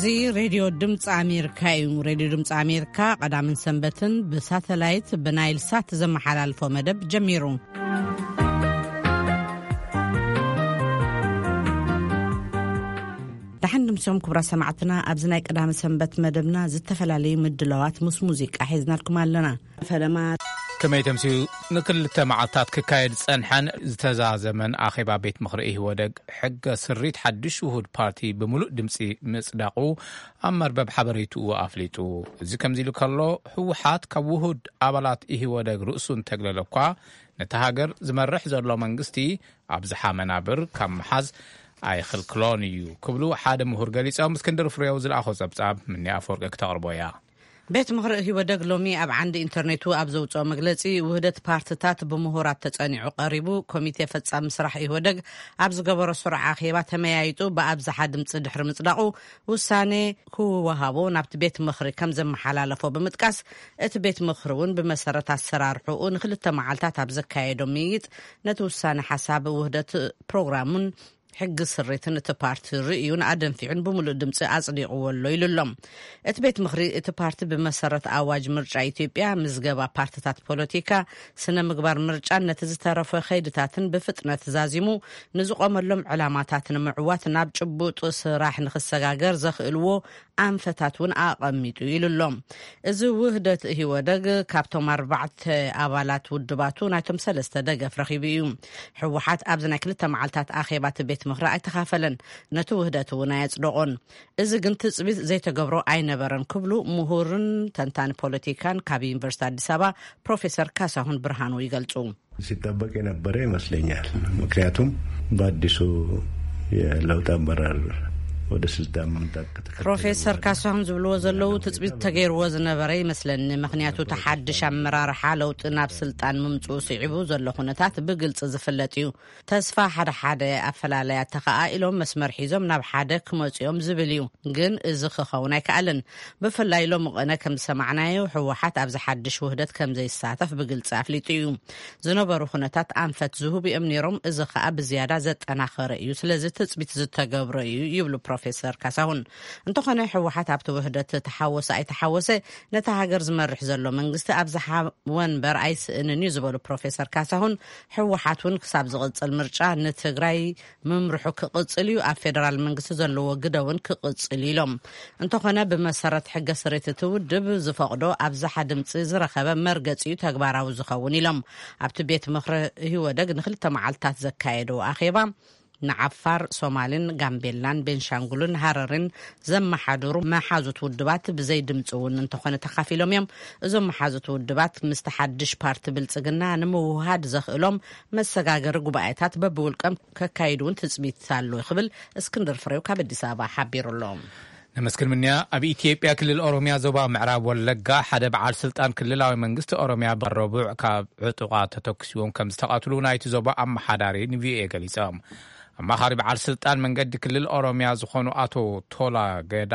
እዚ ሬድዮ ድምፂ ኣሜሪካ እዩ። ሬድዮ ድምፂ ኣሜሪካ ቀዳምን ሰንበትን ብሳተላይት ብናይል ሳት ዘመሓላልፎ መደብ ጀሚሩ። ደሓን ድምፅኦም ክቡራት ሰማዕትና፣ ኣብዚ ናይ ቀዳሚ ሰንበት መደብና ዝተፈላለዩ ምድላዋት ምስ ሙዚቃ ሒዝናልኩም ኣለና። ፈለማ ከመይ ተምስዩ? ንክልተ መዓልታት ክካየድ ዝጸንሐን ዝተዛዘመን ኣኼባ ቤት ምኽሪ ኢህወደግ ሕገ ስሪት ሓድሽ ውሁድ ፓርቲ ብምሉእ ድምጺ ምጽዳቑ ኣብ መርበብ ሓበሬትኡ ኣፍሊጡ። እዚ ከምዚ ኢሉ ከሎ፣ ህወሓት ካብ ውሁድ ኣባላት ኢህወደግ ርእሱ እንተግለለ እኳ፣ ነታ ሃገር ዝመርሕ ዘሎ መንግስቲ ኣብዝሓ መናብር ካብ ምሓዝ ኣይኽልክሎን እዩ ክብሉ ሓደ ምሁር ገሊጾም። እስክንድር ፍሬው ዝለኣኾ ጸብጻብ ምኒ ኣፈወርቂ ክተቕርቦ እያ። ቤት ምኽሪ ኢህወደግ ሎሚ ኣብ ዓንዲ ኢንተርኔቱ ኣብ ዘውፅኦ መግለፂ፣ ውህደት ፓርትታት ብምሁራት ተፀኒዑ ቀሪቡ። ኮሚቴ ፈፃሚ ስራሕ ኢህወደግ ኣብ ዝገበሮ ስሩዕ ኣኼባ ተመያይጡ ብኣብዝሓ ድምፂ ድሕሪ ምፅዳቑ፣ ውሳኔ ክወሃቦ ናብቲ ቤት ምኽሪ ከም ዘመሓላለፎ ብምጥቃስ፣ እቲ ቤት ምኽሪ እውን ብመሰረት ኣሰራርሕኡ ንክልተ መዓልታት ኣብ ዘካየዶ ምይይጥ፣ ነቲ ውሳኔ ሓሳብ ውህደት ፕሮግራሙን ሕጊ ስሪትን እቲ ፓርቲ ርእዩን ኣደንፊዑን ብምሉእ ድምፂ ኣጽዲቕዎ ኣሎ ኢሉ ኣሎ። እቲ ቤት ምኽሪ፣ እቲ ፓርቲ ብመሰረት ኣዋጅ ምርጫ ኢትዮጵያ፣ ምዝገባ ፓርትታት ፖለቲካ፣ ስነ ምግባር ምርጫን ነቲ ዝተረፈ ከይድታትን ብፍጥነት ዛዚሙ ንዝቆመሎም ዕላማታት ንምዕዋት ናብ ጭቡጥ ስራሕ ንክሰጋገር ዘኽእልዎ ኣንፈታት እውን ኣቐሚጡ ኢሉ ኣሎ። እዚ ውህደት ኢህወደግ ካብቶም ኣርባዕተ ኣባላት ውድባቱ ናይቶም ሰለስተ ደገፍ ረኺቡ እዩ። ህወሓት ኣብዚ ናይ ክልተ መዓልታት ኣኼባ እቲ ቤት ምኽሪ ኣይተኻፈለን፣ ነቲ ውህደት እውን ኣየጽደቖን። እዚ ግን ትጽቢት ዘይተገብሮ ኣይነበረን ክብሉ ምሁርን ተንታኒ ፖለቲካን ካብ ዩኒቨርሲቲ ኣዲስ ኣበባ ፕሮፌሰር ካሳሁን ብርሃኑ ይገልጹ። ሲጠበቅ የነበረ ይመስለኛል። ምክንያቱም በአዲሱ የለውጥ አመራር ወደ ስልጣን መምጣት ከተከተለ ፕሮፌሰር ካሳሁን ዝብልዎ ዘለዉ ትጽቢት ተገይርዎ ዝነበረ ይመስለኒ። ምክንያቱ እቲ ሓድሽ ኣመራርሓ ለውጢ ናብ ስልጣን ምምጽኡ ስዒቡ ዘሎ ኩነታት ብግልጺ ዝፍለጥ እዩ። ተስፋ ሓደ ሓደ ኣፈላለያት ተኸኣኢሎም መስመር ሒዞም ናብ ሓደ ክመጽኦም ዝብል እዩ። ግን እዚ ክኸውን ኣይከኣልን። ብፍላይ ሎሚ ቅነ ከም ዝሰማዕናዮ ህወሓት ኣብዚ ሓድሽ ውህደት ከም ዘይሳተፍ ብግልጺ ኣፍሊጡ እዩ። ዝነበሩ ኩነታት ኣንፈት ዝህቡ እዮም ነይሮም። እዚ ከኣ ብዝያዳ ዘጠናኸረ እዩ። ስለዚ ትጽቢት ዝተገብሮ እዩ ይብሉ ፕሮፌሰር ካሳሁን። እንተኾነ ህወሓት ኣብቲ ውህደት ተሓወሰ ኣይተሓወሰ ነታ ሃገር ዝመርሕ ዘሎ መንግስቲ ኣብዝሓ ወንበር ኣይስእንን እዩ ዝበሉ ፕሮፌሰር ካሳሁን፣ ህወሓት እውን ክሳብ ዝቕጽል ምርጫ ንትግራይ ምምርሑ ክቕጽል እዩ፣ ኣብ ፌደራል መንግስቲ ዘለዎ ግደ እውን ክቕጽል እዩ ኢሎም። እንተኾነ ብመሰረት ሕገ ስሪት እቲ ውድብ ዝፈቕዶ ኣብዝሓ ድምፂ ዝረኸበ መርገፂ እዩ ተግባራዊ ዝኸውን ኢሎም። ኣብቲ ቤት ምኽሪ ህወደግ ንክልተ መዓልታት ዘካየደው ኣኼባ ንዓፋር፣ ሶማልን፣ ጋምቤላን፣ ቤንሻንጉልን ሃረርን ዘመሓድሩ መሓዙት ውድባት ብዘይ ድምፂ እውን እንተኾነ ተኻፊሎም እዮም። እዞም መሓዙት ውድባት ምስቲ ሓድሽ ፓርቲ ብልፅግና ንምውሃድ ዘኽእሎም መሰጋገሪ ጉባኤታት በብውልቀም ከካይዱ እውን ትፅቢት ኣሎ ክብል እስክንድር ፍሬው ካብ ኣዲስ ኣበባ ሓቢሩ ኣሎ። ነመስግን ምንያ። ኣብ ኢትዮጵያ ክልል ኦሮሚያ ዞባ ምዕራብ ወለጋ ሓደ በዓል ስልጣን ክልላዊ መንግስቲ ኦሮሚያ ብረቡዕ ካብ ዕጡቓት ተተኩሲዎም ከም ዝተቐትሉ ናይቲ ዞባ ኣመሓዳሪ ንቪኦኤ ገሊጾም። ኣማኻሪ በዓል ስልጣን መንገዲ ክልል ኦሮሚያ ዝኾኑ ኣቶ ቶላ ገዳ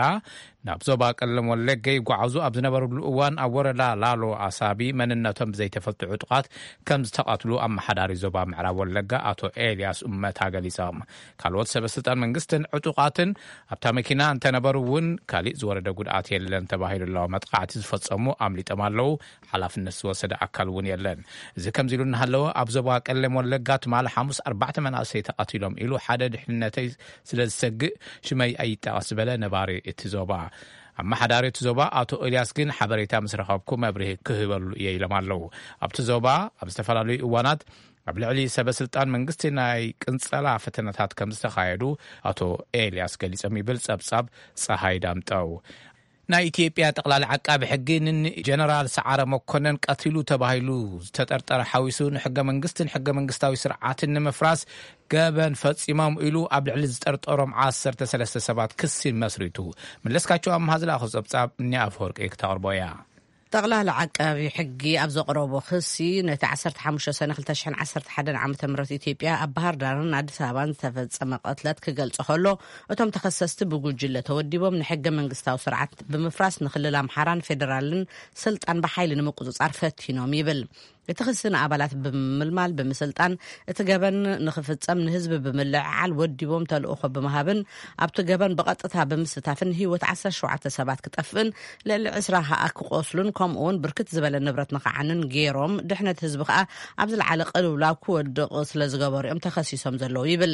ናብ ዞባ ቀለም ወለጋ ይጓዓዙ ኣብ ዝነበሩሉ እዋን ኣብ ወረዳ ላሎ ኣሳቢ መንነቶም ብዘይተፈልጡ ዕጡቓት ከም ዝተቐትሉ ኣመሓዳሪ ዞባ ምዕራብ ወለጋ ኣቶ ኤልያስ ኡመታ ገሊጾም። ካልኦት ሰበ ስልጣን መንግስትን ዕጡቓትን ኣብታ መኪና እንተነበሩ እውን ካሊእ ዝወረደ ጉድኣት የለን ተባሂሉ ኣሎ። መጥቃዕቲ ዝፈጸሙ ኣምሊጦም ኣለዉ፣ ሓላፍነት ዝወሰደ ኣካል እውን የለን። እዚ ከምዚ ኢሉ እናሃለወ ኣብ ዞባ ቀለም ወለጋ ትማሊ ሓሙስ ኣርባዕተ መናእሰይ ተቐቲሎም ኢሉ ሓደ ድሕንነተይ ስለ ዝሰግእ ሽመይ ኣይጠቐስ ዝበለ ነባሪ እቲ ዞባ። ኣመሓዳሪ እቲ ዞባ ኣቶ ኤልያስ ግን ሓበሬታ ምስ ረኸብኩ መብርሂ ክህበሉ እየ ኢሎም ኣለዉ። ኣብቲ ዞባ ኣብ ዝተፈላለዩ እዋናት ኣብ ልዕሊ ሰበ ስልጣን መንግስቲ ናይ ቅንጸላ ፈተነታት ከም ዝተኻየዱ ኣቶ ኤልያስ ገሊጾም ይብል ጸብጻብ ጸሃይ ዳምጠው። ናይ ኢትዮጵያ ጠቕላሊ ዓቃቢ ሕጊ ንጀነራል ሰዓረ መኮነን ቀቲሉ ተባሂሉ ዝተጠርጠረ ሓዊሱ ንሕገ መንግስትን ሕገ መንግስታዊ ስርዓትን ንምፍራስ ገበን ፈጺሞም ኢሉ ኣብ ልዕሊ ዝጠርጠሮም ዓሰርተ ሰለስተ ሰባት ክሲ መስሪቱ። መለስካቸው ኣምሃ ዝለኣኾ ጸብጻብ እኒ ኣፈወርቂ ክተቕርቦ እያ። ጠቕላሊ ዓቃቢ ሕጊ ኣብ ዘቕረቦ ክሲ፣ ነቲ ዓሰርተ ሓሙሽተ ሰነ ክልተ ሽሕን ዓሰርተ ሓደን ዓመተ ምህረት ኢትዮጵያ ኣብ ባህር ዳርን ኣዲስ ኣበባን ዝተፈጸመ ቅትለት ክገልጾ ከሎ፣ እቶም ተኸሰስቲ ብጉጅለ ተወዲቦም ንሕገ መንግስታዊ ስርዓት ብምፍራስ ንክልል ኣምሓራን ፌደራልን ስልጣን ብሓይሊ ንምቁጽጻር ፈቲኖም ይብል። እቲ ክሲ ንኣባላት ብምምልማል፣ ብምስልጣን፣ እቲ ገበን ንኽፍጸም ንህዝቢ ብምልዕዓል፣ ወዲቦም ተልእኾ ብምሃብን ኣብቲ ገበን ብቐጥታ ብምስታፍን ህይወት ዓሰርተ ሸውዓተ ሰባት ክጠፍእን ልዕሊ ዕስራ ከኣ ክቆስሉን፣ ከምኡ እውን ብርክት ዝበለ ንብረት ንኽዓንን ገይሮም፣ ድሕነት ህዝቢ ከኣ ኣብ ዝለዓለ ቅልውላው ክወድቕ ስለ ዝገበሩ እዮም ተኸሲሶም ዘለዉ ይብል።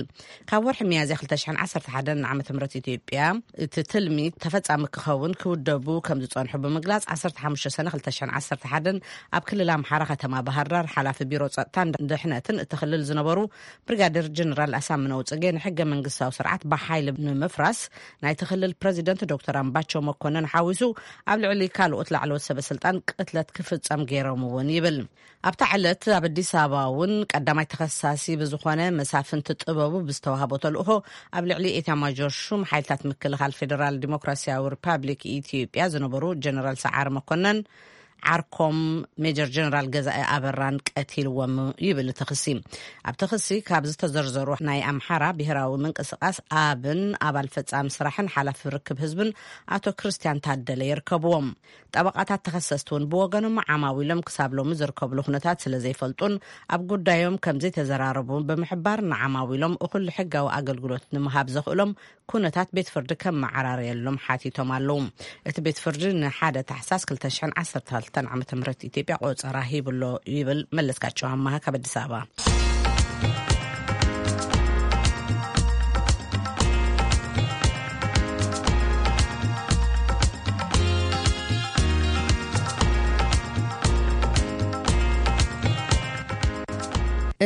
ካብ ወርሒ ሚያዝያ ክልተ ሽሕን ዓሰርተ ሓደን ዓመተ ምህረት ኢትዮጵያ እቲ ትልሚ ተፈጻሚ ክኸውን ክውደቡ ከም ዝጸንሑ ብምግላጽ፣ ዓሰርተ ሓሙሽተ ሰነ ክልተ ሽሕን ዓሰርተ ሓደን ኣብ ክልል ኣምሓራ ከተማ ባህር ዳር ሓላፊ ቢሮ ጸጥታን ድሕነትን እቲ ክልል ዝነበሩ ብሪጋዴር ጀነራል ኣሳምነው ጽጌ፣ ንሕገ መንግስታዊ ስርዓት ብሓይሊ ንምፍራስ ናይቲ ክልል ፕረዚደንት ዶክተር ኣምባቸው መኮንን ሓዊሱ ኣብ ልዕሊ ካልኦት ላዕለዎት ሰበ ስልጣን ቅትለት ክፍጸም ገይሮም እውን ይብል። ኣብታ ዕለት ኣብ ኣዲስ ኣበባ እውን ቀዳማይ ተኸሳሲ ብዝኾነ መሳፍንቲ ጥበቡ ብዝተዋህቦ ተልእኾ ኣብ ልዕሊ ኤታማዦር ሹም ሓይልታት ምክልኻል ፌዴራል ዲሞክራሲያዊ ሪፓብሊክ ኢትዮጵያ ዝነበሩ ጀነራል ሰዓረ መኮነን ዓርኮም ሜጀር ጀነራል ገዛኢ ኣበራን ቀቲልዎም ይብል እቲ ክሲ። ኣብቲ ክሲ ካብ ዝተዘርዘሩ ናይ ኣምሓራ ብሄራዊ ምንቅስቃስ ኣብን ኣባል ፈጻሚ ስራሕን ሓላፊ ርክብ ህዝብን ኣቶ ክርስቲያን ታደለ ይርከብዎም። ጠበቓታት ተኸሰስቲ እውን ብወገኖም ዓማዊሎም ክሳብ ሎሚ ዝርከብሉ ኩነታት ስለ ዘይፈልጡን ኣብ ጉዳዮም ከም ዘይተዘራረቡ ብምሕባር፣ ንዓማዊሎም እኹል ሕጋዊ ኣገልግሎት ንምሃብ ዘኽእሎም ኩነታት ቤት ፍርዲ ከመዓራርየሎም ሓቲቶም ኣለዉ። እቲ ቤት ፍርዲ ንሓደ ታሕሳስ ክልተ ሽሕን ዓሰርተ ክልተን ዓመተ ምህረት ኢትዮጵያ ቆጸራ ሂብሎ ይብል። መለስካቸው ኣማሃ ካብ ኣዲስ ኣበባ።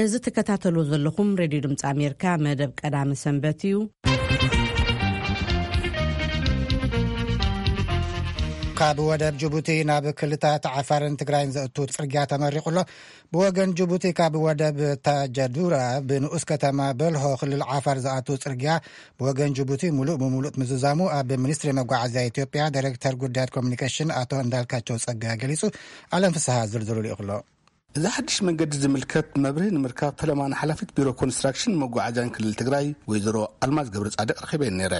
እዚ ትከታተሉ ዘለኹም ሬድዮ ድምፂ ኣሜሪካ መደብ ቀዳመ ሰንበት እዩ። ካብ ወደብ ጅቡቲ ናብ ክልታት ዓፋርን ትግራይን ዘእቱ ጽርግያ ተመሪቑ ኣሎ። ብወገን ጅቡቲ ካብ ወደብ ታጀዱራ ብንኡስ ከተማ በልሆ ክልል ዓፋር ዝኣቱ ጽርግያ ብወገን ጅቡቲ ሙሉእ ብሙሉእ ምዝዛሙ ኣብ ሚኒስትሪ መጓዓዝያ ኢትዮጵያ ዳይሬክተር ጉዳያት ኮሚኒኬሽን ኣቶ እንዳልካቸው ጸጋይ ገሊጹ። ኣለም ፍስሃ ዝርዝሩ ልኢኹሎ። እዚ ሓድሽ መንገዲ ዝምልከት መብርሂ ንምርካብ ፈለማ ንሓላፊት ቢሮ ኮንስትራክሽን መጓዓዝያን ክልል ትግራይ ወይዘሮ ኣልማዝ ገብረ ጻድቅ ረኺበን ነይረ።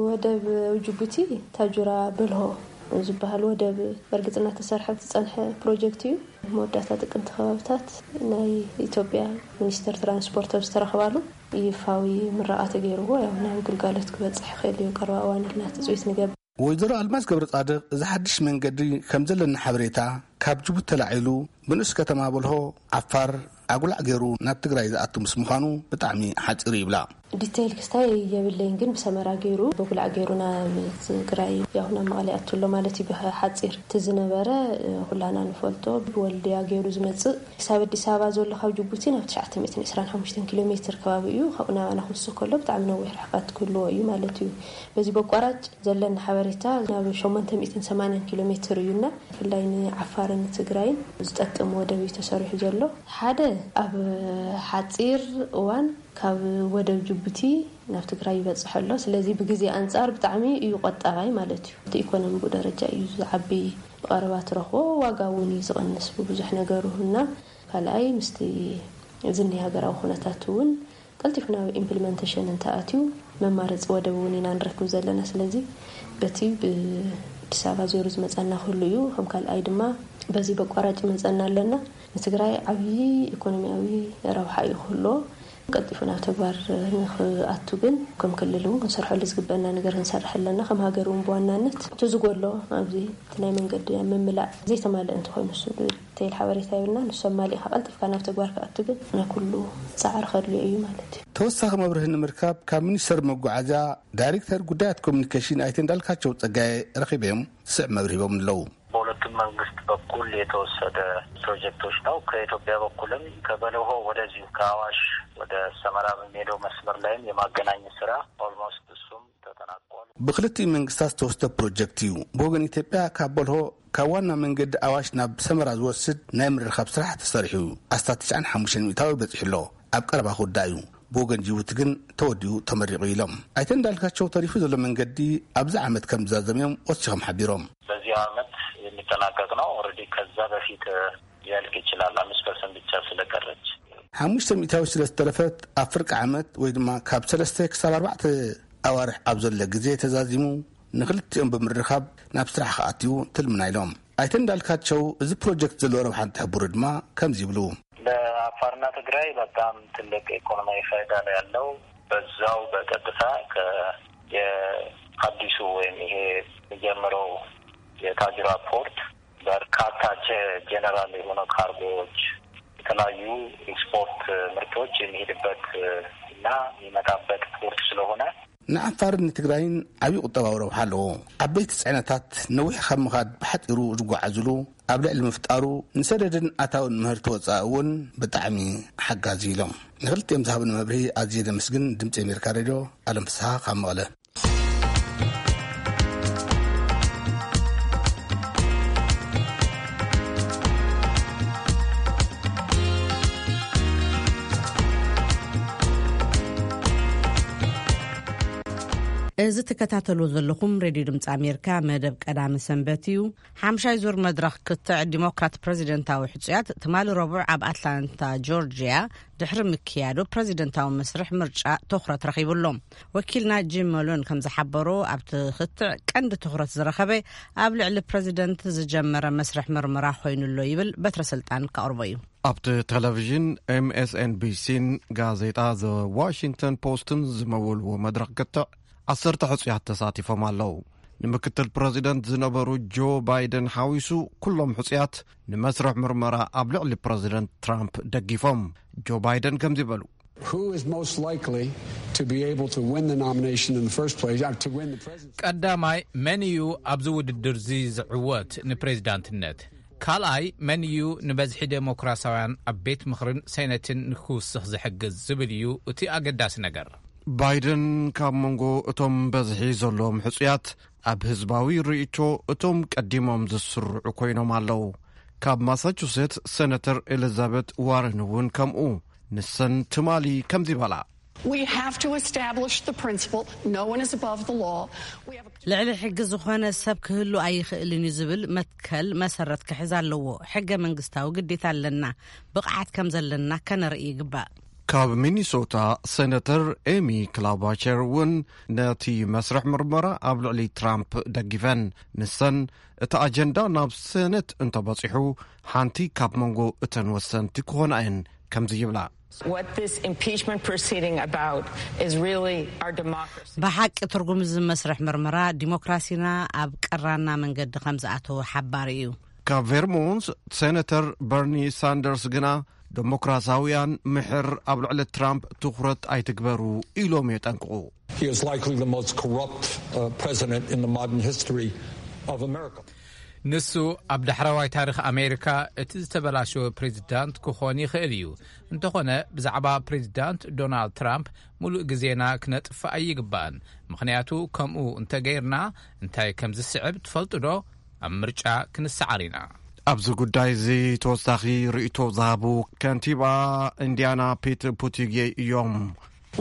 ወደብ ጅቡቲ ታጁራ በልሆ ዝበሃል ወደብ በርግጽ እናተሰርሐ ዝጸንሐ ፕሮጀክት እዩ። መወዳእታ ጥቅምቲ ከባብታት ናይ ኢትዮጵያ ሚኒስትር ትራንስፖርት ኣብ ዝተረኽባሉ ይፋዊ ምረቓ ተገይርዎ፣ ያው ናብ ግልጋሎት ክበጽሕ ይኽእል እዩ ቀረባ እዋን ኢልና ትጽቢት ንገብር። ወይዘሮ ኣልማዝ ገብረ ጻድቅ፣ እዚ ሓድሽ መንገዲ ከም ዘለና ሓበሬታ ካብ ጅቡቲ ተላዒሉ ብንኡስ ከተማ በልሆ ዓፋር ኣጉላዕ ገይሩ ናብ ትግራይ ዝኣቱ ምስ ምዃኑ ብጣዕሚ ሓጺሩ ይብላ። ዲቴይል ክስታይ የብለይን፣ ግን ብሰመራ ገይሩ፣ በጉላዕ ገይሩ ናብ ትግራይ፣ ያው ናብ መቐለ ይኣቱ ኣሎ ማለት እዩ ብሓጺር። እቲ ዝነበረ፣ እ፣ ኩላና ንፈልጦ፣ ብወልድያ ገይሩ ዝመጽእ፣ ክሳብ ኣዲስ ኣበባ ዘሎ ካብ ጅቡቲ ናብ ትሽዓተ ሚእትን ዕስራን ሓሙሽተን ኪሎ ሜትር ከባቢ እዩ። ካብኡ ናባና ክውስኽ ከሎ ብጣዕሚ ነዊሕ ርሕቀት ክህልዎ እዩ ማለት እዩ። በዚ በቋራጭ ዘለኒ ሓበሬታ ናብ ሸሞንተ ሚእትን ሰማንያን ኪሎ ሜትር እዩና፣ ብፍላይ ንዓፋርን ትግራይን ዝጠቅም ወደብ እዩ ተሰሪሑ ዘሎ። ሓደ፣ ኣብ ሓጺር እዋን ካብ ወደብ ጅቡቲ ናብ ትግራይ ይበጽሕ ኣሎ። ስለዚ ብግዜ ኣንጻር ብጣዕሚ እዩ ቆጣባይ ማለት እዩ። እቲ ኢኮኖሚ ብኡ ደረጃ እዩ ዝዓቢ፣ ብቐረባ ትረኽቦ ዋጋ እውን እዩ ዝቐንስ ብብዙሕ ነገሩ እና ካልኣይ ምስቲ ዝኒ ሃገራዊ ኩነታት እውን ቀልጢፉ ናብ ኢምፕሊመንቴሽን እንተኣትዩ መማረፂ ወደብ እውን ኢና ንረክብ ዘለና። ስለዚ በቲ ብኣዲስ ኣበባ ዜሩ ዝመፀና ክህሉ እዩ። ከም ካልኣይ ድማ በዚ በቋራጭ ይመፀና ኣለና። ንትግራይ ዓብዪ ኢኮኖሚያዊ ረብሓ እዩ ክህልዎ። ቀልጢፉ ናብ ተግባር ንኽኣቱ ግን ከም ክልል እውን ክንሰርሐሉ ዝግበአና ነገር ክንሰርሕ ኣለና። ከም ሃገር እውን ብዋናነት እቲ ዝጎሎ ኣብዚ እቲ ናይ መንገዲ ኣብ ምምላእ ዘይተማልአ እንተኾይኑ እሱ ዲቴይል ሓበሬታ የብልና። ንሱ ኣማሊእካ ቀልጢፍካ ናብ ተግባር ክኣቱ ግን ናይ ኩሉ ፃዕሪ ከድልዮ እዩ ማለት እዩ። ተወሳኺ መብርሂ ንምርካብ ካብ ሚኒስተር መጓዓዝያ ዳይሬክተር ጉዳያት ኮሚኒኬሽን ኣይተ እንዳልካቸው ጸጋየ ረኺበዮም ስዕ መብርሂቦም ኣለዉ። በሁለቱም መንግስት በኩል የተወሰደ ፕሮጀክቶች ነው። ከኢትዮጵያ በኩልም ከበለሆ ወደዚሁ ከአዋሽ ወደ ሰመራ በሚሄደው መስመር ላይም የማገናኘት ስራ ኦልሞስት እሱም ተጠናቋል። ብክልቲኡ መንግስታት ዝተወስደ ፕሮጀክት እዩ። ብወገን ኢትዮጵያ ካብ በልሆ ካብ ዋና መንገዲ ኣዋሽ ናብ ሰመራ ዝወስድ ናይ ምርኻብ ስራሕ ተሰሪሑ ኣስታት ትሽዓን ሓሙሽተን ሚእታዊ በጺሑ ኣሎ። ኣብ ቀረባ ክውዳእ እዩ። ብወገን ጅቡቲ ግን ተወዲኡ ተመሪቑ ኢሎም ኣይተ እንዳልካቸው ተሪፉ ዘሎ መንገዲ ኣብዚ ዓመት ከም ዝዛዘም እዮም ወሲኾም ሓቢሮም። በዚህ ዓመት የሚጠናቀቅ ነው። ኦልሬዲ ከዛ በፊት ሊያልቅ ይችላል። አምስት ፐርሰንት ብቻ ስለቀረች ሓሙሽተ ሚእታዊ ስለ ዝተረፈት ኣብ ፍርቂ ዓመት ወይ ድማ ካብ ሰለስተ ክሳብ ኣርባዕተ ኣዋርሕ ኣብ ዘሎ ግዜ ተዛዚሙ ንክልቲኦም ብምርኻብ ናብ ስራሕ ክኣትዩ ትልምና ኢሎም። ኣይተ እንዳልካቸው እዚ ፕሮጀክት ዘለዎ ረብሓ እንትሕብሩ ድማ ከምዚ ይብሉ። ለአፋርና ትግራይ በጣም ትልቅ ኢኮኖሚያዊ ፋይዳ ነው ያለው። በዛው በቀጥታ ከ- የአዲሱ ወይም ይሄ የሚጀምረው የታጁራ ፖርት በርካታ ጀ- ጀነራል የሆነ ካርጎዎች፣ የተለያዩ ኤክስፖርት ምርቶች የሚሄድበት እና የሚመጣበት ፖርት ስለሆነ ንዓፋርን ንትግራይን ዓብዪ ቁጠባዊ ረብሓ ኣለዎ። ዓበይቲ ፅዕነታት ነዊሕ ካብ ምኻድ ብሓፂሩ ዝጓዓዙሉ ኣብ ልዕሊ ምፍጣሩ፣ ንሰደድን ኣታውን ምህርቲ ወፃኢ እውን ብጣዕሚ ሓጋዚ ኢሎም። ንክልቲኦም ዝሃብኒ መብርሂ ኣዝየ ዘመስግን። ድምፂ ኣሜሪካ ሬድዮ፣ ኣለም ፍስሃ ካብ መቐለ። እዚ ትከታተልዎ ዘለኹም ሬድዮ ድምፂ ኣሜሪካ መደብ ቀዳሚ ሰንበት እዩ። ሓምሻይ ዙር መድረኽ ክትዕ ዲሞክራት ፕረዚደንታዊ ሕጹያት ትማሊ ረቡዕ ኣብ ኣትላንታ ጆርጅያ ድሕሪ ምክያዱ፣ ፕረዚደንታዊ መስርሕ ምርጫ ትኹረት ረኺቡ ኣሎ። ወኪልና ጂም መሎን ከም ዝሓበሮ፣ ኣብቲ ክትዕ ቀንዲ ትኹረት ዝረኸበ ኣብ ልዕሊ ፕረዚደንት ዝጀመረ መስርሕ ምርመራ ኮይኑ ኣሎ ይብል። በትረ ስልጣን ከቕርቦ እዩ። ኣብቲ ቴሌቪዥን ኤምኤስኤንቢሲን ጋዜጣ ዘ ዋሽንግተን ፖስትን ዝመወልዎ መድረኽ ክትዕ ዓሰርተ ሕጹያት ተሳቲፎም ኣለዉ። ንምክትል ፕረዚደንት ዝነበሩ ጆ ባይደን ሓዊሱ ኩሎም ሕጹያት ንመስርሕ ምርመራ ኣብ ልዕሊ ፕረዚደንት ትራምፕ ደጊፎም። ጆ ባይደን ከምዚ በሉ። Who is most likely to be able to win the nomination in the first place, uh, to win the presidency? ቀዳማይ መን እዩ ኣብዚ ውድድር እዚ ዝዕወት ንፕሬዚዳንትነት? ካልኣይ መን እዩ ንበዝሒ ዴሞክራሲያውያን ኣብ ቤት ምኽርን ሴነትን ንክውስኽ ዝሕግዝ ዝብል እዩ እቲ ኣገዳሲ ነገር። ባይደን ካብ መንጎ እቶም በዝሒ ዘለዎም ሕጹያት ኣብ ህዝባዊ ርእይቶ እቶም ቀዲሞም ዝስርዑ ኮይኖም ኣለዉ። ካብ ማሳቹሴትስ ሴነተር ኤሊዛቤት ዋረን እውን ከምኡ። ንሰን ትማሊ ከምዚ በላ። We have to establish the principle, no one is above the law. We have a ልዕሊ ሕጊ ዝኾነ ሰብ ክህሉ ኣይኽእልን እዩ ዝብል መትከል መሰረት ክሕዝ ኣለዎ። ሕገ መንግስታዊ ግዴታ ኣለና። ብቕዓት ከም ዘለና ከነርኢ ይግባእ። ካብ ሚኒሶታ ሴነተር ኤሚ ክላባቸር እውን ነቲ መስርሕ ምርመራ ኣብ ልዕሊ ትራምፕ ደጊፈን። ንሰን እቲ ኣጀንዳ ናብ ሴነት እንተበጺሑ ሓንቲ ካብ መንጎ እተን ወሰንቲ ክኾና እየን ከምዚ ይብላ። What this impeachment proceeding about is really our democracy. ብሓቂ ትርጉም እዚ መስርሕ ምርመራ ዲሞክራሲና ኣብ ቀራና መንገዲ ከም ዝኣተወ ሓባሪ እዩ። ካብ ቬርሞንት ሴነተር በርኒ ሳንደርስ ግና ዴሞክራሲያውያን ምሕር ኣብ ልዕሊ ትራምፕ ትኹረት ኣይትግበሩ ኢሎም የጠንቅቑ። He is likely the most corrupt, uh, president in the modern history of America. ንሱ ኣብ ዳሕረዋይ ታሪኽ ኣሜሪካ እቲ ዝተበላሸወ ፕሬዚዳንት ክኾን ይኽእል እዩ። እንተኾነ ብዛዕባ ፕሬዚዳንት ዶናልድ ትራምፕ ሙሉእ ግዜና ክነጥፍእ ኣይግባእን። ምኽንያቱ ከምኡ እንተገይርና እንታይ ከም ዝስዕብ ትፈልጡ ዶ? ኣብ ምርጫ ክንሰዓር ኢና። ኣብዚ ጉዳይ እዚ ተወሳኺ ርእይቶ ዝሃቡ ከንቲባ ኢንዲያና ፒት ቡቲጌ እዮም።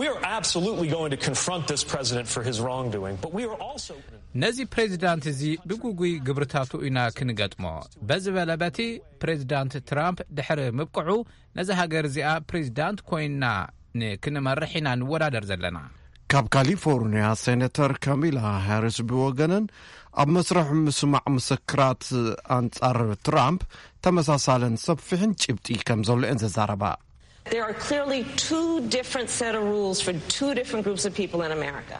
We are absolutely going to confront this president for his wrongdoing, but we are also ነዚ ፕሬዚዳንት እዚ ብግጉይ ግብርታቱ ኢና ክንገጥሞ። በዚ በለ በቲ ፕሬዚዳንት ትራምፕ ድሕሪ ምብቅዑ ነዚ ሃገር እዚኣ ፕሬዚዳንት ኮይና ንክንመርሕ ኢና ንወዳደር ዘለና። ካብ ካሊፎርኒያ ሴነተር ካሚላ ሃሪስ ብወገነን ኣብ መስርሕ ምስማዕ ምስክራት ኣንጻር ትራምፕ ተመሳሳልን ሰፊሕን ጭብጢ ከም ዘሎ እየን ዘዛረባ። There are clearly two different set of rules for two different groups of people in America.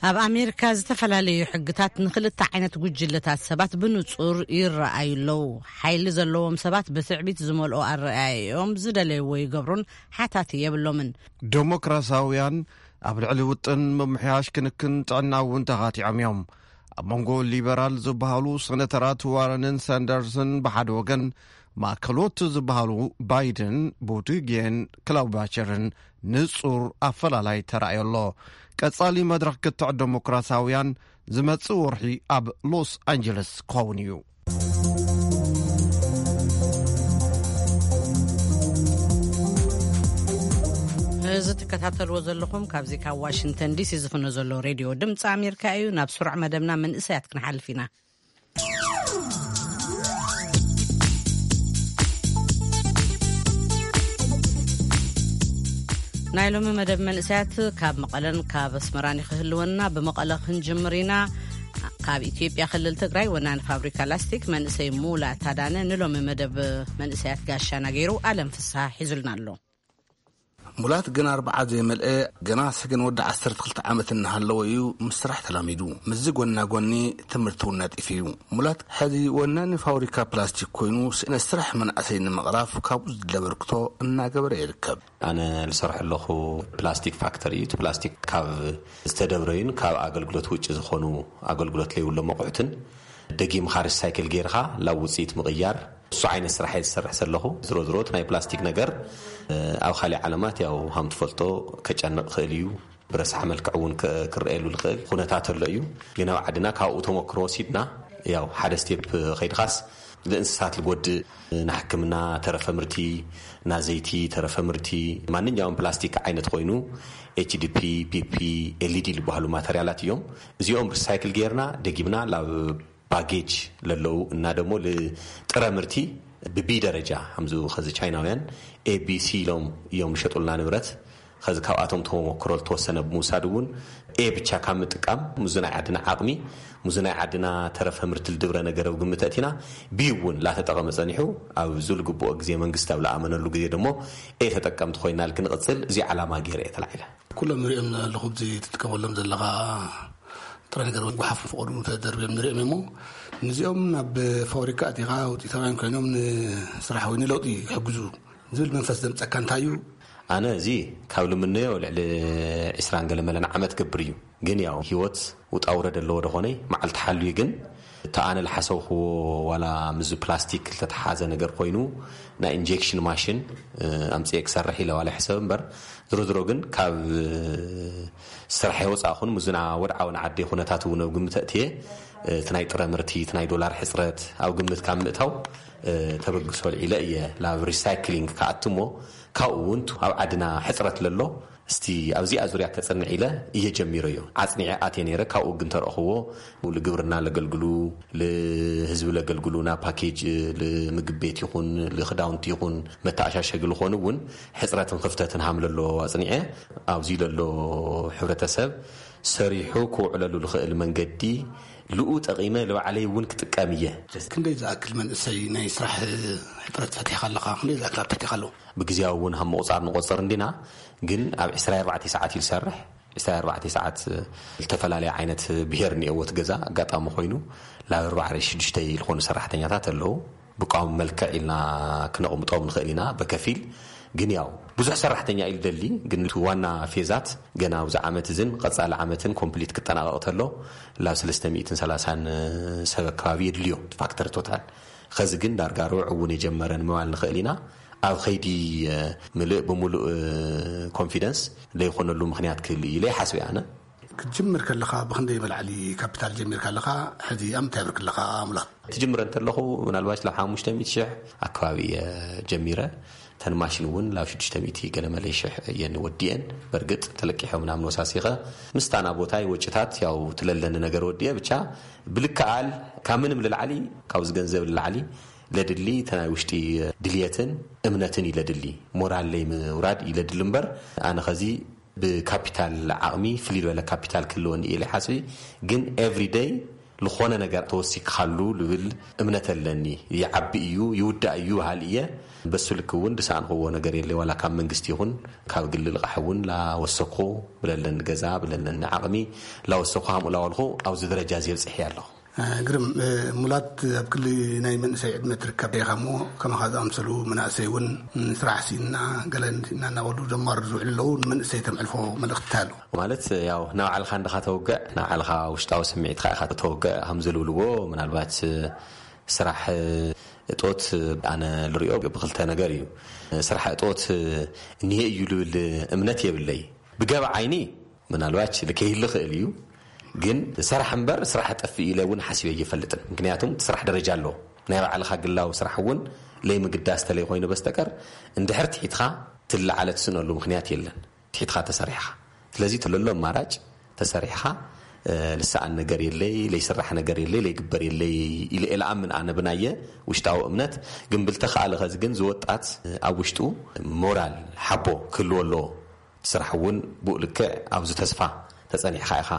ኣብ ኣሜሪካ ዝተፈላለዩ ሕግታት ንክልተ ዓይነት ጉጅለታት ሰባት ብንጹር ይረኣዩ ኣለዉ። ሓይሊ ዘለዎም ሰባት ብትዕቢት ዝመልኦ ኣረኣእያኦም ዝደለይዎ ይገብሩን ሓታቲ የብሎምን። ዴሞክራሲያውያን ኣብ ልዕሊ ውጥን ምምሕያሽ ክንክን ጥዕና እውን ተኻቲዖም እዮም። ኣብ መንጎ ሊበራል ዝበሃሉ ሴነተራት ዋረንን ሳንደርስን ብሓደ ወገን፣ ማእከሎት ዝበሃሉ ባይደን፣ ቡቲጌን ክላውባቸርን ንጹር ኣፈላላይ ተራእዮ ኣሎ። ቀጻሊ መድረኽ ክትዕ ዴሞክራሲያውያን ዝመጽእ ወርሒ ኣብ ሎስ ኣንጀለስ ክኸውን እዩ። እዚ ትከታተልዎ ዘለኹም ካብዚ ካብ ዋሽንግተን ዲሲ ዝፍኖ ዘሎ ሬድዮ ድምፂ ኣሜሪካ እዩ። ናብ ስሩዕ መደብና መንእሰያት ክንሓልፍ ኢና። ናይ ሎሚ መደብ መንእሰያት ካብ መቐለን ካብ ኣስመራን ክህልወና። ብመቐለ ክንጅምር ኢና። ካብ ኢትዮጵያ ክልል ትግራይ ወናኒ ፋብሪካ ላስቲክ መንእሰይ ሙላት ኣዳነ ንሎሚ መደብ መንእሰያት ጋሻና ገይሩ ኣለም ፍስሃ ሒዙልና ኣሎ። ሙላት ግን ኣርብዓ ዘይመልአ፣ ገና ሰገን ወዲ ዓሰርተ ክልተ ዓመት እናሃለወ እዩ ምስ ስራሕ ተላሚዱ። ምስዚ ጎና ጎኒ ትምህርቲ እውን ነጢፉ እዩ። ሙላት ሕዚ ወናኒ ፋብሪካ ፕላስቲክ ኮይኑ ስእነት ስራሕ መናእሰይ ንምቕራፍ ካብኡ ዝድለ ኣበርክቶ እናገበረ ይርከብ። ኣነ ዝሰርሐ ኣለኹ ፕላስቲክ ፋክተሪ እዩ። እቲ ፕላስቲክ ካብ ዝተደብረዩን ካብ ኣገልግሎት ውጭ ዝኾኑ ኣገልግሎት ለይብሎም ኣቑሑትን ደጊምኻ ሪሳይክል ጌርኻ ላብ ውፅኢት ምቕያር፣ እሱ ዓይነት ስራሕ እየ ዝሰርሕ ዘለኹ። ዝሮ ዝሮ እቲ ናይ ፕላስቲክ ነገር ኣብ ካሊእ ዓለማት ያው ሃም ትፈልጦ ከጨንቕ ክእል እዩ። ብረሳሕ መልክዕ እውን ክረኣየሉ ዝኽእል ኩነታት ኣሎ እዩ። ግን ኣብ ዓድና ካብኡ ተመክሮ ወሲድና ያው ሓደ ስቴፕ ከይድኻስ ንእንስሳት ዝጎድእ፣ ንሕክምና ተረፈ ምርቲ፣ ናዘይቲ ተረፈ ምርቲ፣ ማንኛውም ፕላስቲክ ዓይነት ኮይኑ ኤችዲፒ፣ ፒፒ፣ ኤልኢዲ ዝበሃሉ ማተርያላት እዮም። እዚኦም ሪሳይክል ጌርና ደጊምና ላብ ባጌጅ ለለዉ እና ደሞ ልጥረ ምርቲ ብቢ ደረጃ ከምዚ ከዚ ቻይናውያን ኤቢሲ ኢሎም እዮም ዝሸጡልና ንብረት። ከዚ ካብኣቶም ተመክሮ ዝተወሰነ ብምውሳድ እውን ኤ ብቻ ካብ ምጥቃም ሙዚ ናይ ዓድና ዓቕሚ፣ ሙዚ ናይ ዓድና ተረፈ ምርቲ ልድብረ ነገር ኣብ ግምት ኣእቲና ቢ እውን ላተጠቐመ ጸኒሑ ኣብ ዝልግብኦ ግዜ መንግስቲ ኣብ ለኣመነሉ ግዜ ደሞ ኤ ተጠቀምቲ ኮይና ልክንቕጽል እዚ ዓላማ ገይረ እየ ተላዒለ። ኩሎም ንሪኦም ኣለኹ እዚ ትጥቀመሎም ዘለኻ ጥረ ነገር ጎሓፍ ፈቐዱ ተደርብዮም ንሪኦም እሞ ንዚኦም ናብ ፋብሪካ ኣቲኻ ውፅኢታውያን ኮይኖም ንስራሕ ወይ ንለውጢ ይሕግዙ ዝብል መንፈስ ዘምፀካ እንታይ እዩ? ኣነ እዚ ካብ ልምነዮ ልዕሊ ዕስራን ገለ መለን ዓመት ገብር እዩ። ግን ያው ህይወት ውጣ ውረድ ኣለዎ ደኾነ መዓልቲ ሓልዩ ግን እቲ ኣነ ልሓሰብክዎ ዋላ ምዚ ፕላስቲክ ልተተሓዘ ነገር ኮይኑ ናይ ኢንጀክሽን ማሽን ኣምፅኤ ክሰርሕ ኢለ ዋላ ሕሰብ እምበር ዝሮ ዝሮ ግን ካብ ስራሕ የወፃእኹን ምዝና ወድዓዊ ንዓዲ ኩነታት እውን ኣብ ግምት ኣእትየ እቲ ናይ ጥረ ምርቲ እቲ ናይ ዶላር ሕፅረት ኣብ ግምት ካብ ምእታው ተበግሶ ልዒለ እየ ናብ ሪሳይክሊንግ ክኣትሞ ካብኡ እውን ኣብ ዓድና ሕፅረት ለሎ እስቲ ኣብዚኣ ዙርያ ከፅንዕ ኢለ እየ ጀሚረዮ። ዓፅኒዐ ኣትየ ነይረ። ካብኡ ግን ተረእኽዎ ልግብርና ለገልግሉ ልህዝቢ ለገልግሉ ና ፓኬጅ ልምግብ ቤት ይኹን ልክዳውንቲ ይኹን መተኣሻሸጊ ልኾኑ እውን ሕፅረትን ክፍተትን ሃም ለሎ ኣፅኒዐ ኣብዚ ለሎ ሕብረተሰብ ሰሪሑ ክውዕለሉ ልኽእል መንገዲ ልኡ ጠቒመ ልባዕለይ እውን ክጥቀም እየ። ክንደይ ዝኣክል መንእሰይ ናይ ስራሕ ሕፅረት ፈቲሕካ ኣለኻ? ክንደይ ዝኣክል ኣብ ትሕቲኻ ኣለዉ? ብግዜያዊ እውን ሃብ ምቑፃር ንቆፅር እንዲና ግን ኣብ ዕስራ ኣርባዕተ ሰዓት እዩ ዝሰርሕ። ዕስራ ኣርባዕተ ሰዓት ዝተፈላለየ ዓይነት ብሄር እኒአዎ እቲ ገዛ ኣጋጣሚ ኮይኑ ላብ ኣርባዕተ ሽዱሽተ ዝኾኑ ሰራሕተኛታት ኣለዉ። ብቋሚ መልክዕ ኢልና ክነቕምጦም ንኽእል ኢና በከፊል ግን ያው ብዙሕ ሰራሕተኛ እዩ ልደሊ ግን እቲ ዋና ፌዛት ገና ኣብዚ ዓመት እዝን ቀፃሊ ዓመትን ኮምፕሊት ክጠናቐቕ ተሎ ላብ ሰለስተ ሚእትን ሰላሳን ሰብ ኣከባቢ የድልዮ ፋክተር ቶታል። ኸዚ ግን ዳርጋ ርብዕ እውን የጀመረ ንምባል ንኽእል ኢና። ኣብ ኸይዲ ምልእ ብምሉእ ኮንፊደንስ ዘይኮነሉ ምኽንያት ክህሉ እዩ ኢለ ይሓስብ ኣነ። ክትጅምር ከለኻ ብኽንደይ መላዕሊ ካፒታል ጀሚርካ ኣለኻ? ሕዚ ኣብ ምንታይ ብርክ ኣለኻ? ሙላት ትጅምረ እንተለኹ ምናልባሽ ላብ ሓሙሽተ ሚእቲ ሽሕ ኣከባቢ እየ ጀሚረ። ተን ማሽን እውን ላብ ሽዱሽተ ሚእቲ ገለ መለይ ሽሕ እየን ወዲአን። በርግጥ ተለቂሖም ናብ ንወሳሲኸ ምስታና ቦታይ ወጭታት ያው ትለለኒ ነገር ወዲአ ብቻ ብልክኣል ካብ ምንም ልላዕሊ ካብዚ ገንዘብ ልላዕሊ ለድሊ ተናይ ውሽጢ ድልየትን እምነትን ይለድሊ ሞራል ለይ ምውራድ ይለድሊ እምበር ኣነ ኸዚ ብካፒታል ዓቕሚ ፍልይ ዝበለ ካፒታል ክህልወኒ እየ ሓስቢ ግን every day ዝኾነ ነገር ተወሲክኻሉ ልብል እምነት ኣለኒ። ይዓቢ እዩ ይውዳእ እዩ በሃል እየ። በሱ ልክ እውን ድሰኣንክዎ ነገር የለ ዋላ ካብ መንግስቲ ይኹን ካብ ግሊ ልቓሕ እውን ላወሰኩ ብለለኒ ገዛ ብለለኒ ዓቕሚ ላወሰኩ ሃምኡ ላወልኩ ኣብዚ ደረጃ እዚ የብፅሕ እየ ኣለኹ። ግርም ሙላት ኣብ ክሊ ናይ መንእሰይ ዕድመ ትርከብ ኢኻ እሞ ከማኻ ዝኣምሰሉ መናእሰይ እውን ስራሕ ሲና ገለ ሲና እናበሉ ጀማር ዝውዕሉ ኣለዉ ንመንእሰይ ተምዕልፎ መልእኽቲ ኣሎ ማለት ያው ናብ ዓልኻ እንድኻ ተውግዕ ናብ ዓልኻ ውሽጣዊ ስምዒትካ ኢኻ ተውግዕ ከም ዝልብልዎ ምናልባት ስራሕ እጦት ኣነ ልሪኦ ብክልተ ነገር እዩ። ስራሕ እጦት እኒሄ እዩ ልብል እምነት የብለይ። ብገብ ዓይኒ ምናልባች ልከይህሊ ክእል እዩ። ግን ሰራሕ እምበር ስራሕ ጠፍእ ኢለ እውን ሓሲበ እየፈልጥን። ምክንያቱም እቲ ስራሕ ደረጃ ኣለዎ። ናይ ባዕልኻ ግላዊ ስራሕ እውን ለይምግዳስ ተለይ ኮይኑ በስተቀር እንድሕር ትሒትኻ ትለዓለ ትስእነሉ ምክንያት የለን። ትሒትኻ ተሰሪሕኻ። ስለዚ እቲ ለሎ ኣማራጭ ተሰሪሕኻ ልሰኣን ነገር የለይ፣ ለይስራሕ ነገር የለይ፣ ለይግበር የለይ ኢለ እየ ልኣምን ኣነ ብናየ ውሽጣዊ እምነት። ግን ብልተኻእለ ኸዚ ግን ዝወጣት ኣብ ውሽጡ ሞራል ሓቦ ክህልዎ ኣለዎ። እቲ ስራሕ እውን ብኡ ልክዕ ኣብዚ ተስፋ ተጸኒዕኻ ኢኻ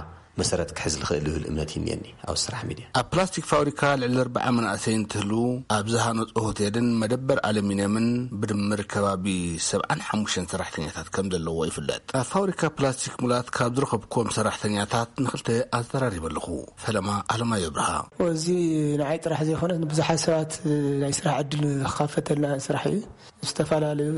መሰረት ክሕዝ ዝኽእል ዝብል እምነት ይንየኒ ኣብ ስራሕ ሚድያ። ኣብ ፕላስቲክ ፋብሪካ ልዕሊ ኣርብዓ መናእሰይ እንትህልዉ፣ ኣብ ዝሃነጾ ሆቴልን መደበር ኣሉሚንየምን ብድምር ከባቢ ሰብዓን ሓሙሽተን ሰራሕተኛታት ከም ዘለዎ ይፍለጥ። ኣብ ፋብሪካ ፕላስቲክ ሙላት ካብ ዝረኸብኩዎም ሰራሕተኛታት ንኽልተ ኣዘራሪበ ኣለኹ። ፈለማ ኣለማዮ ብርሃ። እዚ ንዓይ ጥራሕ ዘይኮነስ ንብዙሓት ሰባት ናይ ስራሕ ዕድል ዝኸፈተልና ስራሕ እዩ። ዝተፈላለዩ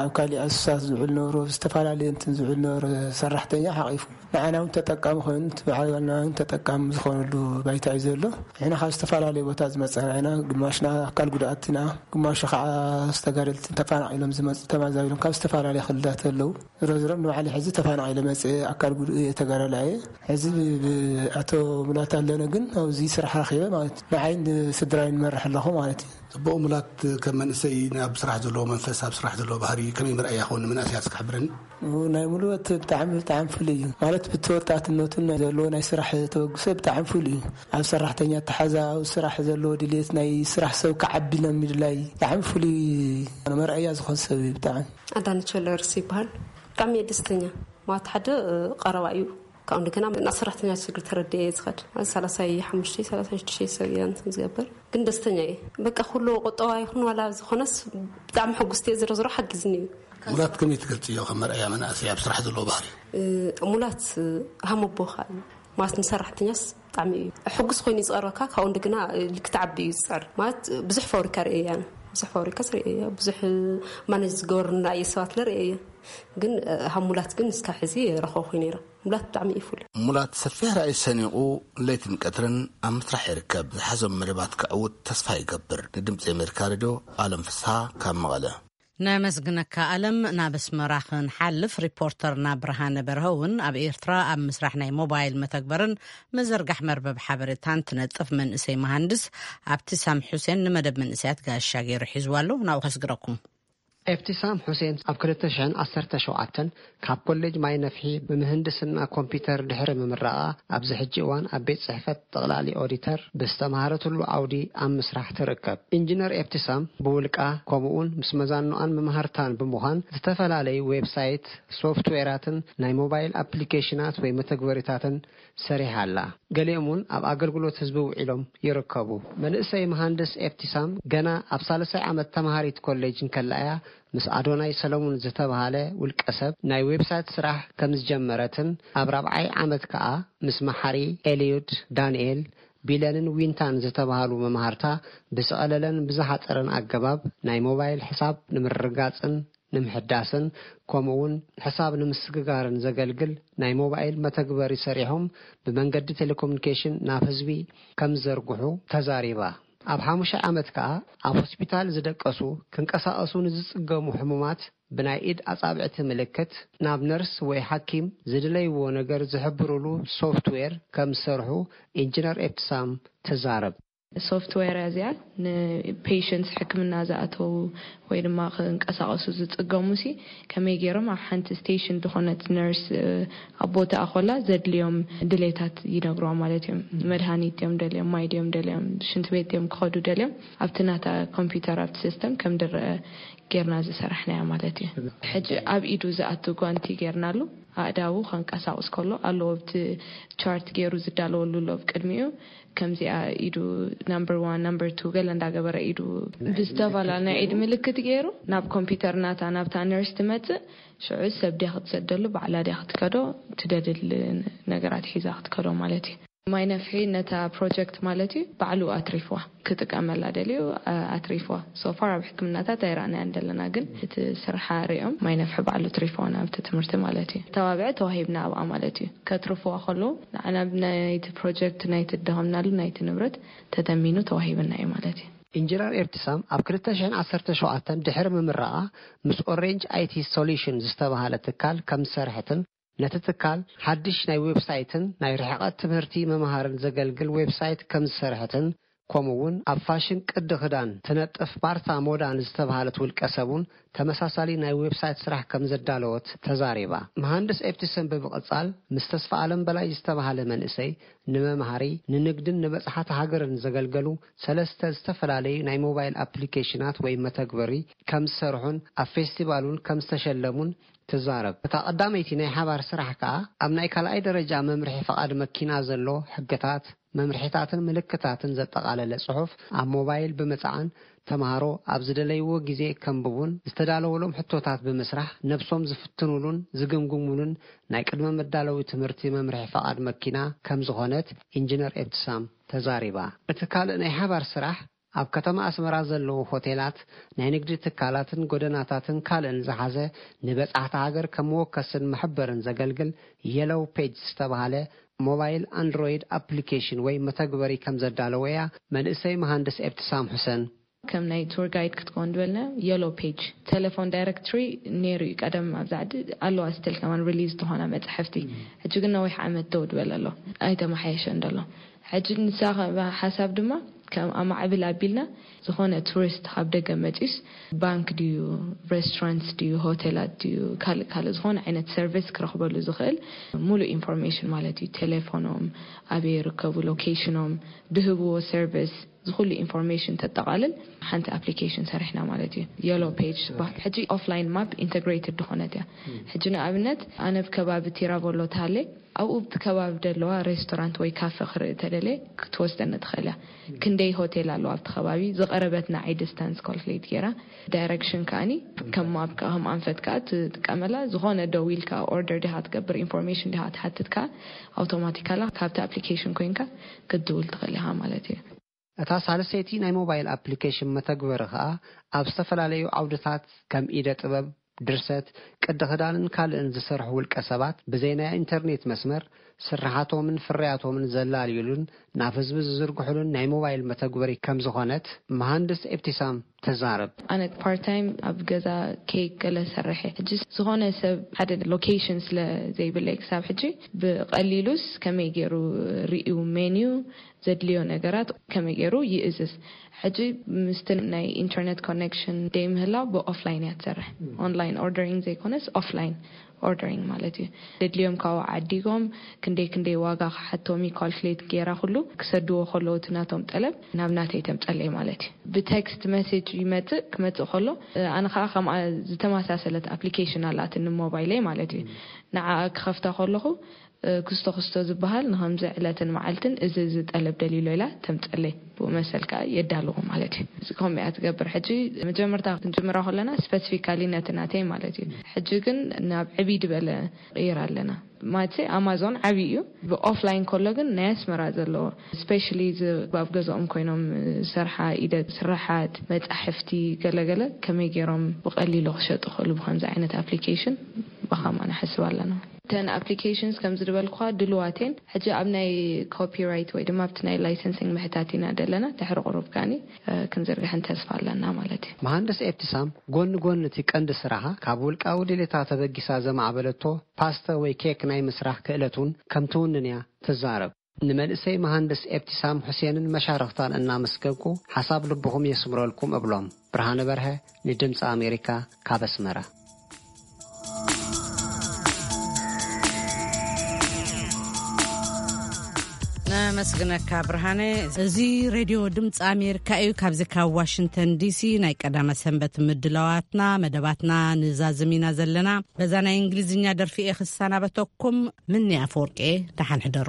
ኣብ ካሊእ ኣሱሳት ዝውዕል ነበሩ፣ ዝተፈላለዩ እንትን ዝውዕል ነበሩ ሰራሕተኛ ሓቂፉ። ንዓና እውን ተጠቃሚ ኮይኑ፣ እቲ በዓልና እውን ተጠቃሚ ዝኾነሉ ባይታ እዩ ዘሎ። ንሕና ካብ ዝተፈላለዩ ቦታ ዝመፀና ኢና። ግማሽና ኣካል ጉድኣትና፣ ግማሹ ከዓ ዝተጋደልቲ ተፈናቒሎም ዝመፁ ተማዛቢሎም ካብ ዝተፈላለዩ ክልላት ኣለዉ። ዝሮ ዝሮ ንባዕሊ ሕዚ ተፈናቒለ መፅእ ኣካል ጉድኡ እየ ተጋዳላይ እየ። ሕዚ ብ-፣ ብ-፣ ኣቶ ሙላት ኣለነ ግን ኣብዚ ስራሕ ረኺበ ማለት እዩ። ንዓይን ስድራይን መርሕ ኣለኹ ማለት እዩ። ጽቡቕ። ሙላት፣ ከም መንእሰይ ናብ ስራሕ ዘለዎ መንፈስ፣ ኣብ ስራሕ ዘለዎ ባህሪ ከመይ መርኣያ ይኸውን ንመናእሰያት እስኪ ሓብረኒ። ናይ ሙሉወት ብጣዕሚ ብጣዕሚ ፍሉይ እዩ ማለት ብቲ ወጣትነቱን ናይ ዘለዎ ናይ ስራሕ ተበግሶ ብጣዕሚ ፍሉይ እዩ። ኣብ ሰራሕተኛ ኣተሓዛ፣ ኣብ ስራሕ ዘለዎ ድሌት፣ ናይ ስራሕ ሰብ ክዓቢ ናይ ምድላይ ብጣዕሚ ፍሉይ መርኣያ ዝኾን ሰብ እዩ። ብጣዕሚ ኣዳነች ወልደርስ ይበሃል። ብጣዕሚ እየ ደስተኛ ማለት ሓደ ቀረባ እዩ። ካብኡ እንደገና ናብ ሰራሕተኛ ችግር ተረዲኤ እየ ዝኸድ። ሰላሳይ ሓሙሽተ ሰላሳይ ሽዱሽተ ሰብ እየ እንትን ዝገብር ግን ደስተኛ እየ። በቃ ኩሉ ቁጠባ ይኹን ዋላ ዝኾነስ ብጣዕሚ ሕጉስቲ እየ። ዝሮ ዝሮ ሓጊዝኒ እዩ። ሙላት ከመይ ትገልጽዮ ከም መርኣያ መናእሰይ ኣብ ስራሕ ዘለዎ ባህሪ? ሙላት ሃመቦ ከዓ እዩ ማለት ንሰራሕተኛስ ብጣዕሚ እዩ ሕጉስ ኮይኑ እዩ ዝቐርበካ። ካብኡ እንደገና ልክትዓቢ እዩ ዝፅዕር ማለት ብዙሕ ፋብሪካ ርእየ እያ። ብዙሕ ፋብሪካ ርእየ እያ። ብዙሕ ማነጅ ዝገበሩ ንራእየ ሰባት ለርእየ እያ። ግን ሃሙላት ግን እስካ ሕዚ ረኸብኩ ነይረ። ሙላት ብጣዕሚ እዩ ፍሉይ። ሙላት ሰፊሕ ራእይ ሰኒቑ ለይትን ቀትርን ኣብ ምስራሕ ይርከብ። ዝሓዞም መደባት ክዕውት ተስፋ ይገብር። ንድምፂ ኣሜሪካ ሬድዮ ኣለም ፍስሃ ካብ መቐለ። ነመስግነካ ኣለም። ናብ ኣስመራ ክንሓልፍ ሪፖርተርና ብርሃነ በርሀ እውን ኣብ ኤርትራ ኣብ ምስራሕ ናይ ሞባይል መተግበርን ምዝርጋሕ መርበብ ሓበሬታን ትነጥፍ መንእሰይ መሃንድስ ኣብቲ ሳም ሑሴን ንመደብ መንእሰያት ጋሻ ገይሩ ሒዝዋ ኣሎ። ናብኡ ከስግረኩም። ኤብቲሳም ሑሴን ኣብ ክልተ ሽሕን ዓሰርተ ሸውዓተን ካብ ኮሌጅ ማይ ነፍሒ ብምህንድስና ኮምፒተር ድሕሪ ምምራቓ፣ ኣብዚ ሕጂ እዋን ኣብ ቤት ጽሕፈት ጠቕላሊ ኦዲተር ብዝተምሃረትሉ ዓውዲ ኣብ ምስራሕ ትርከብ። ኢንጂነር ኤብቲሳም ብውልቃ፣ ከምኡውን ምስ መዛንኦኣን መማህርታን ብምዃን ዝተፈላለዩ ዌብሳይት፣ ሶፍትዌራትን ናይ ሞባይል ኣፕሊኬሽናት ወይ መተግበሪታትን ሰሪሓ ኣላ። ገሊኦም እውን ኣብ ኣገልግሎት ህዝቢ ውዒሎም ይርከቡ። መንእሰይ መሃንድስ ኤብቲሳም ገና ኣብ ሳልሳይ ዓመት ተምሃሪት ኮሌጅ እንከላ እያ ምስ ኣዶናይ ሰለሙን ዝተባህለ ውልቀ ሰብ ናይ ዌብሳይት ስራሕ ከም ዝጀመረትን ኣብ ራብዓይ ዓመት ከኣ ምስ መሓሪ ኤልዩድ ዳንኤል ቢለንን ዊንታን ዝተባህሉ መማህርታ ብዝቐለለን ብዝሓጸረን ኣገባብ ናይ ሞባይል ሕሳብ ንምርግጋጽን ንምሕዳስን ከምኡ እውን ሕሳብ ንምስግጋርን ዘገልግል ናይ ሞባይል መተግበሪ ሰሪሖም ብመንገዲ ቴሌኮሙኒኬሽን ናብ ህዝቢ ከም ዝዘርግሑ ተዛሪባ። ኣብ ሓሙሻይ ዓመት ከኣ ኣብ ሆስፒታል ዝደቀሱ ክንቀሳቐሱ ንዝጽገሙ ሕሙማት ብናይ ኢድ ኣጻብዕቲ ምልክት ናብ ነርስ ወይ ሓኪም ዝድለይዎ ነገር ዝሕብሩሉ ሶፍትዌር ከም ዝሰርሑ ኢንጂነር ኤብትሳም ትዛረብ። ሶፍትዌር እያ እዚኣ ንፔሽንትስ ሕክምና ዝኣተዉ ወይ ድማ ክንቀሳቐሱ ዝፅገሙ ሲ ከመይ ገይሮም ኣብ ሓንቲ ስቴሽን ዝኾነት ነርስ ኣብ ቦታኣ ኮላ ዘድልዮም ድሌታት ይነግርዋ ማለት እዮም። መድሃኒት ድዮም ደልዮም፣ ማይ ድዮም ደልዮም፣ ሽንቲ ቤት ድዮም ክኸዱ ደልዮም ኣብቲ ናታ ኮምፒውተር ኣብቲ ሲስተም ከም ድረአ ጌርና ዝሰራሕናያ ማለት እዩ። ሕጂ ኣብ ኢዱ ዝኣቱ ጓንቲ ጌርናሉ ኣእዳዉ ከንቀሳቕስ ከሎ ኣለዎ ኣብቲ ቻርት ገይሩ ዝዳለወሉ ኣሎ ኣብ ቅድሚኡ ከምዚኣ ኢዱ ናምበር ዋን ናምበር ቱ ገለ እንዳገበረ ኢዱ ብዝተፈላለ ናይ ኢድ ምልክት ገይሩ ናብ ኮምፒውተር ናታ ናብታ ነርስ ትመፅእ። ሽዑ ሰብ ድያ ክትሰደሉ ባዕላ ድያ ክትከዶ ትደልል ነገራት ሒዛ ክትከዶ ማለት እዩ። ማይ ነፍሒ ነታ ፕሮጀክት ማለት እዩ ባዕሉ ኣትሪፍዋ ክጥቀመላ ደልዩ ኣትሪፍዋ። ሶፋር ኣብ ሕክምናታት ኣይረኣናያን ዘለና ግን እቲ ስርሓ ሪኦም ማይ ነፍሒ ባዕሉ ትሪፍዋ ናብቲ ትምህርቲ ማለት እዩ። ተባብዐ ተዋሂብና ኣብኣ ማለት እዩ። ከትርፍዋ ከለዉ ንዓና ናይቲ ፕሮጀክት ናይቲ ደኸምናሉ ናይቲ ንብረት ተተሚኑ ተዋሂብና እዩ ማለት እዩ። ኢንጂነር ኤብትሳም ኣብ ክልተ ሽሕን ዓሰርተ ሸውዓተን ድሕሪ ምምራቓ ምስ ኦሬንጅ ኣይቲ ሶሉሽን ዝተባህለ ትካል ከም ዝሰርሐትን ነቲ ትካል ሓድሽ ናይ ዌብሳይትን ናይ ርሕቐት ትምህርቲ መምሃርን ዘገልግል ዌብሳይት ከም ዝሰርሐትን ከምኡ እውን ኣብ ፋሽን ቅዲ ክዳን ትነጥፍ ማርታ ሞዳን ዝተባህለት ውልቀ ሰብ እውን ተመሳሳሊ ናይ ዌብሳይት ስራሕ ከም ዘዳለወት ተዛሪባ። መሃንድስ ኤፕቲሰን ብምቕጻል ምስ ተስፋ ኣለም በላይ ዝተባህለ መንእሰይ ንመምሃሪ፣ ንንግድን ንበጽሓት ሃገርን ዘገልገሉ ሰለስተ ዝተፈላለዩ ናይ ሞባይል ኣፕሊኬሽናት ወይ መተግበሪ ከም ዝሰርሑን ኣብ ፌስቲቫል እውን ከም ዝተሸለሙን ትዛረብ። እታ ቀዳመይቲ ናይ ሓባር ስራሕ ከኣ ኣብ ናይ ካልኣይ ደረጃ መምርሒ ፈቓድ መኪና ዘሎ ሕግታት፣ መምርሒታትን ምልክታትን ዘጠቓለለ ጽሑፍ ኣብ ሞባይል ብምጽዓን፣ ተምሃሮ ኣብ ዝደለይዎ ግዜ ከንብቡን ዝተዳለወሎም ሕቶታት ብምስራሕ ነብሶም ዝፍትኑሉን ዝግምግሙሉን ናይ ቅድመ መዳለዊ ትምህርቲ መምርሒ ፈቓድ መኪና ከም ዝኾነት ኢንጂነር ኤብትሳም ተዛሪባ። እቲ ካልእ ናይ ሓባር ስራሕ ኣብ ከተማ ኣስመራ ዘለዉ ሆቴላት፣ ናይ ንግዲ ትካላትን ጎደናታትን ካልእን ዝሓዘ ንበጻሕቲ ሃገር ከም መወከስን መሐበርን ዘገልግል የሎው ፔጅ ዝተባህለ ሞባይል ኣንድሮይድ ኣፕሊኬሽን ወይ መተግበሪ ከም ዘዳለወ እያ መንእሰይ መሃንድስ ኤብትሳም ሑሰን። ከም ናይ ቱር ጋይድ ክትከውን ዝበልና የሎ ፔጅ ቴሌፎን ዳይሬክትሪ ነይሩ እዩ ቀደም። ኣብዚ ዓዲ ኣለዋ ስትል ከማን ሪሊዝ ዝኾና መጻሕፍቲ። ሕጂ ግን ነዊሕ ዓመት ደው ድበል ኣሎ፣ ኣይተመሓየሸን ደሎ። ሕጂ ንሳ ከ-፣ ሓሳብ ድማ ከም ኣማዕብል ኣቢልና ዝኾነ ቱሪስት ካብ ደገ መጺስ ባንክ ድዩ፣ ሬስቶራንት ድዩ፣ ሆቴላት ድዩ፣ ካልእ ካልእ ዝኾነ ዓይነት ሰርቪስ ክረኽበሉ ዝኽእል ሙሉእ ኢንፎርሜሽን ማለት እዩ። ቴሌፎኖም፣ ኣበይ ይርከቡ፣ ሎኬሽኖም፣ ድህብዎ ሰርቪስ፣ ዝኹሉ ኢንፎርሜሽን ተጠቓልል ሓንቲ ኣፕሊኬሽን ሰሪሕና ማለት እዩ። የሎ ፔጅ ዝበሃል። ሕጂ ኦፍላይን ማፕ ኢንተግሬትድ ዝኾነት እያ። ሕጂ ንኣብነት ኣነ ኣብ ከባቢ ቲራቮሎ ተሃለ ኣብኡ ኣብቲ ከባቢ ደለዋ ሬስቶራንት ወይ ካፈ ክርኢ ተደልየ ክትወስደኒ ትኽእል እያ። ክንደይ ሆቴል ኣለዋ ኣብቲ ከባቢ፣ ዝቐረበትና ዓይ ዲስታንስ ካልኩሌት ገይራ፣ ዳይሬክሽን ከኣኒ ከም ማፕ ከኣ ከም ኣንፈት ከኣ ትጥቀመላ። ዝኾነ ደው ኢልካ ኦርደር ዲኻ ትገብር፣ ኢንፎርሜሽን ዲኻ ትሓትት ከኣ ኣውቶማቲካላ ካብቲ ኣፕሊኬሽን ኮይንካ ክትድውል ትኽእል ኢኻ ማለት እዩ። እታ ሳልሰይቲ ናይ ሞባይል ኣፕሊኬሽን መተግበሪ ከኣ ኣብ ዝተፈላለዩ ዓውድታት ከም ኢደ ጥበብ፣ ድርሰት፣ ቅዲ ክዳንን ካልእን ዝሰርሑ ውልቀ ሰባት ብዘይ ናይ ኢንተርኔት መስመር ስርሓቶምን ፍርያቶምን ዘላልዩሉን ናብ ህዝቢ ዝዝርግሑሉን ናይ ሞባይል መተግበሪ ከም ዝኾነት መሃንድስ ኤብቲሳም ተዛረብ። ኣነ ፓርት ታይም ኣብ ገዛ ኬክ ገለ ሰርሐ። ሕጂ ዝኾነ ሰብ ሓደ ሎኬሽን ስለ ዘይብለይ ክሳብ ሕጂ ብቐሊሉስ ከመይ ገይሩ ርእዩ ሜንዩ ዘድልዮ ነገራት ከመይ ገይሩ ይእዝዝ። ሕጂ ምስቲ ናይ ኢንተርኔት ኮኔክሽን ደይ ምህላው ብኦፍላይን እያ ትሰርሕ። ኦንላይን ኦርደሪንግ ዘይኮነስ ኦፍላይን ኦርደሪንግ ማለት እዩ። ዘድልዮም ካብኡ ዓዲጎም ክንደይ ክንደይ ዋጋ ክሓቶም እዩ ካልኩሌት ገይራ ኩሉ ክሰድዎ ከለዉ እቲ ናቶም ጠለብ ናብ ናተይ ተምጸለይ ማለት እዩ። ብቴክስት ሜሴጅ ይመጽእ፣ ክመጽእ ከሎ ኣነ ከዓ ከምኣ ዝተመሳሰለት ኣፕሊኬሽን ኣላትኒ ሞባይለይ ማለት እዩ። ንዓኣ ክኸፍታ ከለኹ ክስቶ ክስቶ ዝበሃል ንኸምዚ ዕለትን መዓልትን እዚ እዚ ጠለብ ደሊሎ ኢላ ተምጸለይ። ብኡ መሰል ከዓ የዳልዎ ማለት እዩ። እዚ ከምኡ እያ ትገብር። ሕጂ መጀመርታ ክንጅምራ ከለና ስፐሲፊካሊ ነቲ ናተይ ማለት እዩ። ሕጂ ግን ናብ ዕብይ ዝበለ ቀይር ኣለና። ማለት ኣማዞን ዓብዪ እዩ። ብኦፍላይን ከሎ ግን ናይ ኣስመራ ዘለዎ ስፔሻሊ ኣብ ገዛኦም ኮይኖም ሰርሓ ኢደ ስራሓት መጻሕፍቲ ገለገለ ከመይ ገይሮም ብቐሊሉ ክሸጡ ክእሉ ብከምዚ ዓይነት ኣፕሊኬሽን ብኸምኣ ንሓስብ ኣለና። እተን ኣፕሊኬሽንስ ከምዚ ዝበልኩኻ ድልዋት እየን። ሕጂ ኣብ ናይ ኮፒራይት ወይ ድማ ኣብቲ ናይ ላይሰንሲንግ ምሕታት ኢና ደለና። ድሕሪ ቁሩብ ከኣኒ ክንዝርግሐን ተስፋ ኣለና ማለት እዩ። መሃንድስ ኤብትሳም ጎኒ ጎኒ እቲ ቀንዲ ስራሓ ካብ ውልቃዊ ድሌታ ተበጊሳ ዘማዕበለቶ ፓስተ ወይ ኬክ ናይ ምስራሕ ክእለት እውን ከም ትውንን እያ ትዛረብ። ንመንእሰይ መሃንድስ ኤብትሳም ሑሴንን መሻርኽታን እናመስገንኩ ሓሳብ ልብኹም የስምረልኩም እብሎም። ብርሃነ በርሀ ንድምፂ ኣሜሪካ ካብ ኣስመራ። ነመስግነካ ብርሃነ። እዚ ሬድዮ ድምፂ ኣሜሪካ እዩ። ካብዚ ካብ ዋሽንግተን ዲሲ ናይ ቀዳመ ሰንበት ምድላዋትና መደባትና ንዛዝም ኢና ዘለና። በዛ ናይ እንግሊዝኛ ደርፊ እየ ክሰናበተኩም። ምኒ ኣፈወርቂ፣ ደሓን ሕደሩ።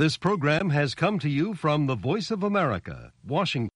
This program has come to you from the Voice of America, Washington.